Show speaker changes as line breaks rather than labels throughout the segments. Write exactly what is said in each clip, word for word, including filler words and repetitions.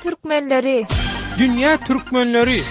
türkmenleri.
Dünýä türkmenleri.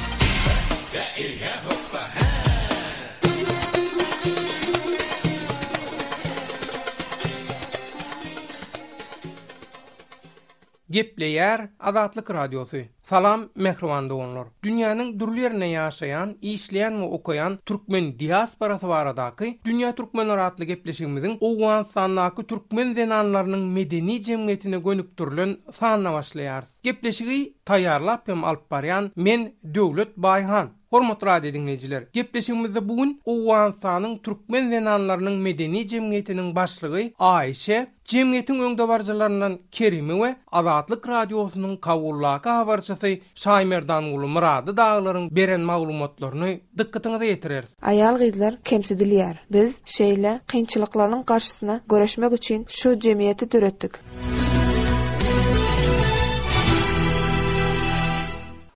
Gepleýär Azatlyk Radiosy. Salam mähriban doganlar. Dünýäniň dürli ýerinde ýaşaýan, işleýän we okaýan türkmen diasporasy baradaky Dünýä Türkmenleri atly gepleşigimiziň Owganystandaky türkmen zenanlarynyň medeni jemgyýetine gönükdirilen sanyna başlaýarys. Gepleşigi taýýarlap hem alyp barýan men Döwlet Baýhan. Hormatly radio dinleýjiler, gepleşigimizde bugün Owganystanyň türkmen zenanlarynyň medeni jemgyýetiniň başlygy Aýşe, jemgyýetiň öňdebaryjylaryndan Kerimi we Azatlyk radiosynyň Kabullaky habarçysy Şaýmerdanguly Murady daglaryň beren maglumatlaryny dykgatyňyza ýetireris.
Aýal gyzlar kemsidilýär. Biz şeýle kynçylyklaryň garşysyna göreşmek üçin şu jemgyýeti döretdik.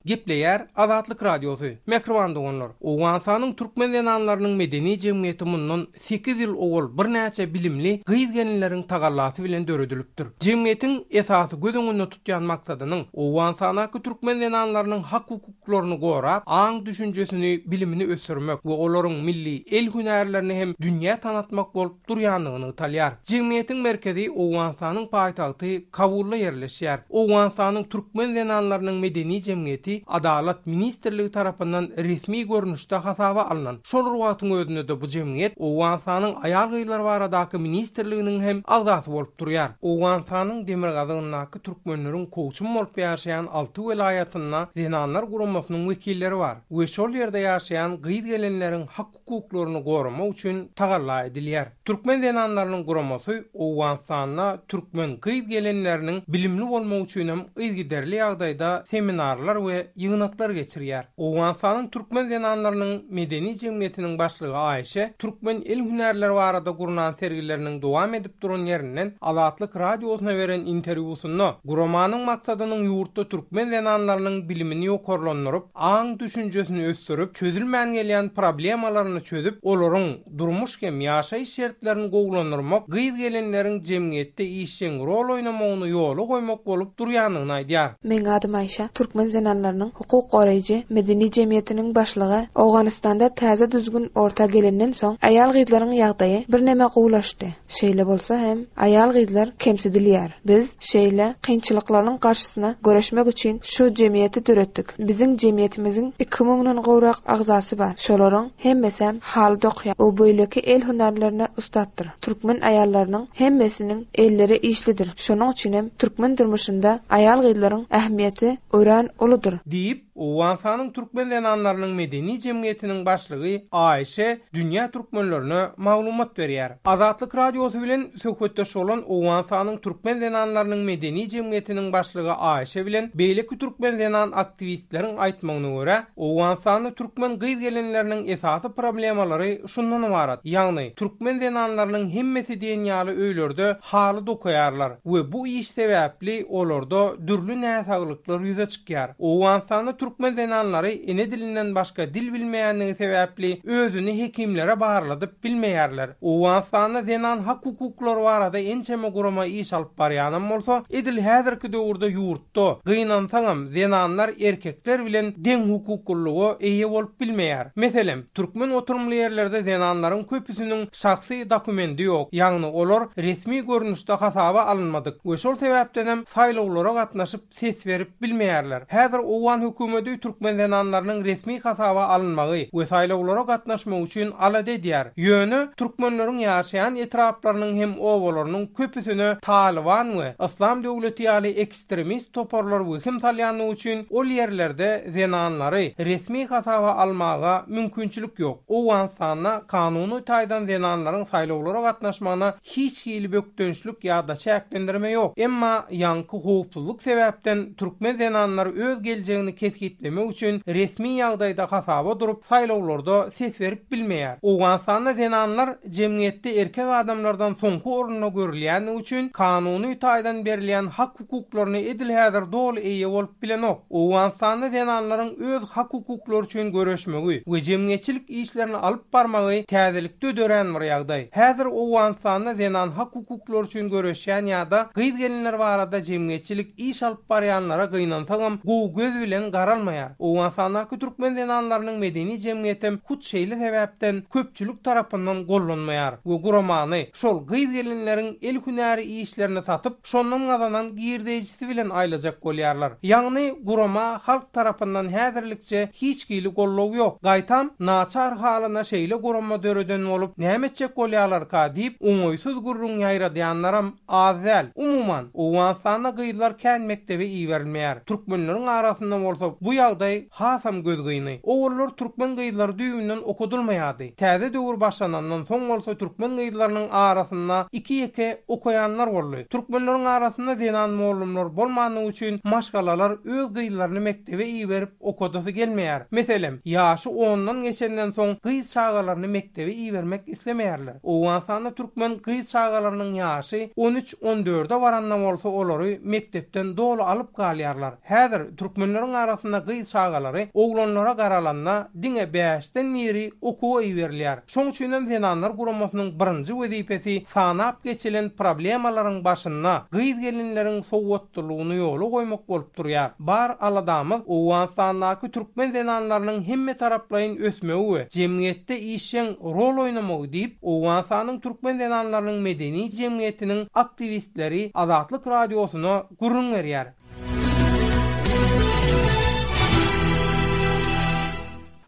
Gepleýär Azatlyk Radiosy. Mähriban doganlar, Owganystanyň türkmen zenanlarynyň medeni jemgyýeti mundan sekiz ýyl owal birnäçe bilimli gyz-gelinleriň tagallasy bilen döredilipdir. Jemgyýetiň esasy göz öňünde tutýan maksadynyň Owganystanyň türkmen zenanlarynyň hak hukuklaryny gorap, aň düşünjesini, bilimini ösdürmek we olaryň milli el hünärlerini hem dünýä tanatmak bolup durýanlygyny talýar. Jemgyýetiň merkezi Owganystanyň paýtagty Kabulda ýerleşýär. Owganystanyň türkmen zenanlarynyň medeni jemgyýeti Adalat Ministrligi tarapyndan resmi görnüşde hasaba alnan. Şol wagtyň özünde de bu jemgyýet Owganystanyň aýal gyzlar baradaky ministrliginiň hem agzasy bolup durýar. Owganystanyň demirgazygyndaky türkmenleriň kowçum bolup ýaşaýan alty welaýatynda zenanlar guramasynyň wekilleri bar we şol ýerde ýaşaýan gyz gelinleriň hak hukuklaryny goramak üçin tagalla edilýär. Türkmen zenanlarynyň guramasy Owganystanda türkmen gyz gelinleriniň bilimli bolmak üçin hem yzygiderli ýagdaýda seminarlar we ýygnaklar geçirýär. Owganystanyň türkmen zenanlarynyň medeni jemgyýetiniň başlygy Aýşe türkmen el hünärleri barada gurnan sergileriniň dowam edip duran ýerinden Azatlyk radiosyna beren interwýusynda guramanyň maksadynyň ýurtda türkmen zenanlarynyň bilimini ýokarlandyryp, aň düşünjesini ösdürip, çözülmän gelýän problemalaryny çözüp, olaryň durmuş hem ýaşaýyş şertlerini gowulandyrmak, gyz gelinleriň jemgyýetde işjeň rol oýnamagyny ýola goýmak bolup durýanlygyny aýdýar.
Meň adym Aýşe, türkmen zenanlarynyň hukuk goraýjy medeni jemgyýetiniň başlygy. Owganystanda täze düzgün orta gelenden soň aýal gyzlaryň ýagdaýy birneme gowulaşdy. Şeýle bolsa hem aýal gyzlar kemsidilýär. Biz şeýle kynçylyklaryň garşysyna göreşmek üçin şu jemgyýeti döretdik. Biziň jemgyýetimiziň iki müňden gowrak agzasy bar. Şolaryň hemmesi hem haly dokýar. O beýleki el hünärlerine ussatdyr. Türkmen aýallarynyň hemmesiniň elleri işlidir. Şonuň üçin hem türkmen durmuşynda aýal gyzlaryň ähmiýeti örän uludyr.
Diýip, Owganystanyň türkmen zenanlarynyň medeni jemgyýetiniň başlygy Aýşe dünýä türkmenlerine maglumat berýär. Azatlyk radiosy bilen söhbetdeş bolan Owganystanyň türkmen zenanlarynyň medeni jemgyýetiniň başlygy Aýşe bilen beýleki türkmen zenan aktiwistleriň aýtmagyna görä, Owganystanda türkmen gyz gelinleriniň esasy problemalary şundan ybarat. Ýagny türkmen zenanlarynyň hemmesi diýen ýaly öýlerde haly dokaýarlar we bu iş sebäpli olarda dürli näsaglyklar ýüze çykýar. Owganystanda türkmen zenanlary ene dilinden başga dil bilmeýänligi sebäpli özüni hekimlere barladyp bilmeýärler. Owganystanda zenan hak hukuklary barada ençeme gurama iş alyp barýanam bolsa, edil häzirki döwürde ýurtda gynansaňam zenanlar erkekler bilen deň hukuklylyga eýe bolup bilmeýär. Meselem, türkmen oturymly ýerlerde zenanlaryň köpüsiniň şahsy dokumendi ýok, ýagny olar resmi görnüşde hasaba alynmadyk we şol sebäpden hem saýlawlara gatnaşyp ses berip bilmeýärler. Häzir Owgan hökümeti türkmen zenanlarynyň resmi hasaba alynmagy we saýlawlara gatnaşmak üçin alada edýär. Ýöne türkmenleriň ýaşaýan etraplarynyň hem obalarynyň köpüsine Taliban we Islam döwleti ýaly ekstremist toparlar wehim salýanlygy üçin ol ýerlerde zenanlary resmi hasaba almaga mümkinçilik ýok. Owganystanda kanuny taýdan zenanlaryň saýlawlara gatnaşmagyna hiç hili bökdençlik ýa-da çäklendirme ýok. Emma ýaňky howpsuzlyk sebäpden türkmen zenanlary öz geljegini kesgitlemek kesgitlemek üçin resmi ýagdaýda hasaba durup saýlawlarda ses berip bilmeýär. Owganystanda zenanlar jemgyýetde erkek adamlardan soňky orunda görülýäni üçin kanuny taýdan berilýän hak hukuklaryny edil häzir doly eýe bolup bilenok. Owganystanda zenanlaryň öz hak hukuklary üçin göreşmegi we jemgyýetçilik işlerini alyp barmagy täzelikde dörän bir ýagdaý. Häzir Owganystanda zenan hak hukuklary üçin göreşýän ýa-da gyz gelinler barada jemgyýetçilik iş alyp barýanlara gynansagam gowy göz bilen garalmaýar. Owganystandaky türkmen zenanlarynyň medeni jemgyýetem hut şeýle sebäpden köpçülik tarapyndan gollanmaýar we guramany şol gyz gelinleriň el hünäri işlerini satyp, şondan gazanan girdeýjisi bilen aýlajak bolýarlar. Ýagny gurama halk tarapyndan häzirlikçe hiç hili gollow ýok. Gaýtam naçar halyna şeýle gurama döreden bolup, näme etjek bolýarlarka diýip, oňaýsyz gürrüň ýaýradýanlaram az däl. Umuman, Owganystanda gyzlar kän mekdebe iberilmeýär. Türkmenleriň arasynda bolsa bu ýagdaý hasam gözgyny. Owallar türkmen gyzlary düýbünden okudylmaýardy. Täze döwür başlanandan soň bolsa türkmen gyzlarynyň arasynda iki ýeke okaýanlar boldy. Türkmenleriň arasynda zenan mollumlar bolmanlygy üçin maşgalalar öz gyzlaryny mekdebe iberip okadasy gelmeýär. Meselem, ýaşy ondan geçenden soň gyz çagalaryny mekdebe ibermek islemeýärler. Owganystanda türkmen gyz çagalarynyň ýaşy on üç on dörde baranda bolsa olary mekdepden doly alyp galýarlar. Häzir türkmenleriň arasynda gyz çagalary oglanlara garalanda diňe bäşden biri okuwa iberilýär. Şoň üçin hem zenanlar guramasynyň birinji wezipesi sanap geçilen problemalaryň başynda gyz gelinleriň sowatlylygyny ýola goýmak bolup durýar. Bar aladamyz Owganystandaky türkmen zenanlarynyň hemme taraplaýyn ösmegi we jemgyýetde işjeň rol oýnamagy diýip, Owganystanyň türkmen zenanlarynyň medeni jemgyýetiniň aktiwistleri Azatlyk radiosyna gürrüň berýär.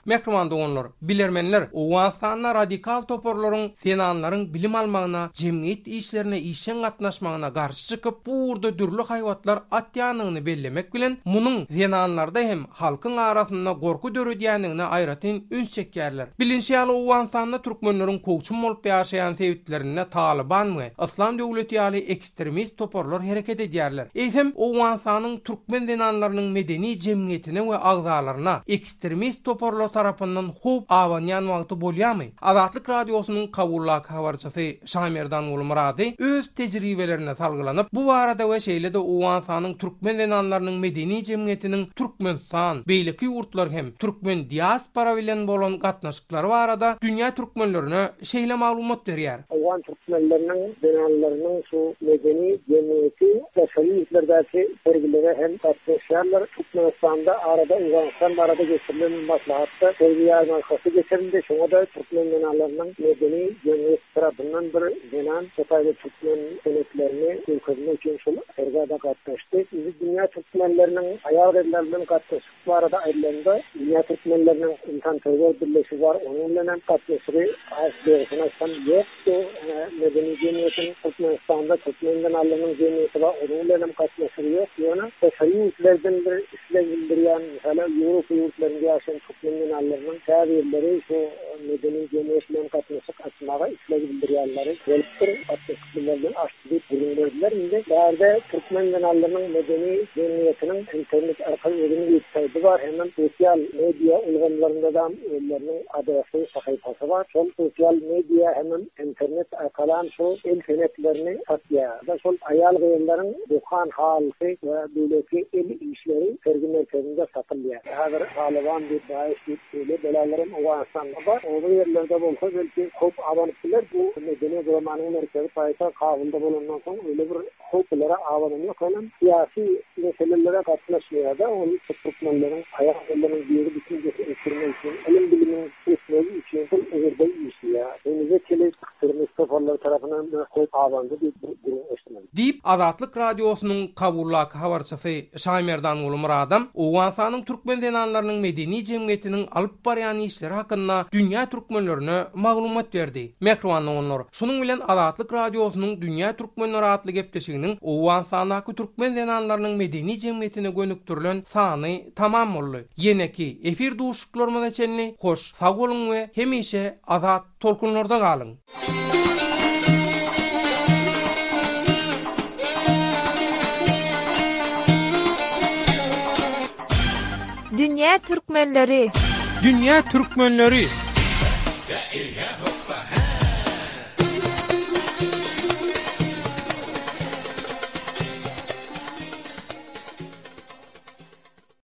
Mehriban doganlar, bilermenler Owganystanda radikal toparlaryň zenanlaryň bilim almagyna, jemgyýet işlerine işjeň gatnaşmagyna garşy çykyp, bu ugurda dürli haýbatlar atýanyny bellemek bilen, munuň zenanlarda hem halkyň arasynda gorky döredýändigine aýratyn üns çekýärler. Bilinçi ýaly Owganystanda türkmenleriň kowçum bolup ýaşaýan sebitlerinde Taliban we Islam döwleti ýaly ekstremist toparlar hereket edýärler. Eýsem Owganystanyň türkmen zenanlarynyň medeni jemgyýetine we agzalaryna ekstremist toparlar tarapyndan howp abanýan wagty bolýarmy? Azatlyk radiosynyň Kabullak habarçysy Şamerdan Gulmurady öz tejribelerine salgylanyp, bu barada we şeýle-de Owganystanyň türkmen zenanlarynyň medeni jemgyýetiniň Türkmenistan, beýleki ýurtlar hem türkmen diaspora bilen bolan gatnaşyklary barada dünýä türkmenlerine şeýle maglumat berýär.
Owgan türkmenleriniň zenanlarynyň şu medeni jemgyýeti daşary ýurtlardaky sergilere hem gatnaşýarlar. Türkmenistanda arada Owganystan barada geçirilen maslahat sergi ýarmarkasy geçirildi. Şoňa da türkmen zenanlarynyň medeni jemgyýet tarapyndan bir zenan Hytaýda türkmen senetlerini görkezmek üçin şol sergä gatnaşdy. Biz dünýä türkmenleriniň aýal-gyzlar bilen gatnaşyk barada aýdylanda, dünýä türkmenleriniň insanperwer birleşigi bar, onuň bilen hem gatnaşygy az dogrusyny aýtsam ýokdy. Medeni jemgyýetiň Türkmenistanda türkmen zenanlarynyň jemgyýeti bar, onuň bilen hem gatnaşygy ýok. Ýöne daşary ýurtlardan bir isleg bildirýän, meselem, Ýewropa ýurtlarynda ýaşaýan türkmen zenanlarynyň käbirleri şu medeni jemgyýet bilen gatnaşyk açmaga isleg bildirýänleri bolupdyr. Gatnaşyk bilen açdy diýip gürrüň berdiler. Indi bärde türkmen zenanlarynyň medeni jemgyýetiniň internet arkaly özüniň websaýty bar, hem sosial media ulgamlarynda da özleriniň adresi, sahypasy bar. Şol sosial media hem internet arkaly şu el senetlerini satýar. Şol aýal gyzlaryň dokan halysy we beýleki el işleri sergi merkezinde satylýar. Häzir Taliban diýip, DAEŞ diýip beýle belalarym Owganystanda bar. Oba ýerlerde bolsa belki howp abanyp biler. Bu medeni guramanyň merkezi paýtagt Kabulda bolandan soň öyle bir howplara abanan ýok. Onuň syýasy meselelere gatnaşmaýar da, ol türkmenleriň aýal-gyzlaryň biri düşünjesi ösdürmek üçin, ylym bilimiň ösmegi üçin şol ugurda işleýär. Henize çenli ekstremist toparlar tarapyndan bir howp abandy diýip gürrüň eşitmedim.
Diýip Azatlyk radiosynyň Kabullak habarçysy Şamerdan Gulmuradam Owganystanyň türkmen zenanlarynyň medeni jemgyýetiniň alyp barýan işleri hakynda dünýä türkmenlerine maglumat berdi. Mehriban doganlar, şunuň bilen Azatlyk radiosynyň Dünýä Türkmenleri atly gepleşiginiň Owganystandaky türkmen zenanlarynyň medeni jemgyýetine gönükdirilen sany tamam boldy. Ýeneki efir duşuşyklarymyza çenli hoş sag boluň we hemişe azat tolkunlarda galyň.
Dünýä türkmenleri.
Dünýä türkmenleri.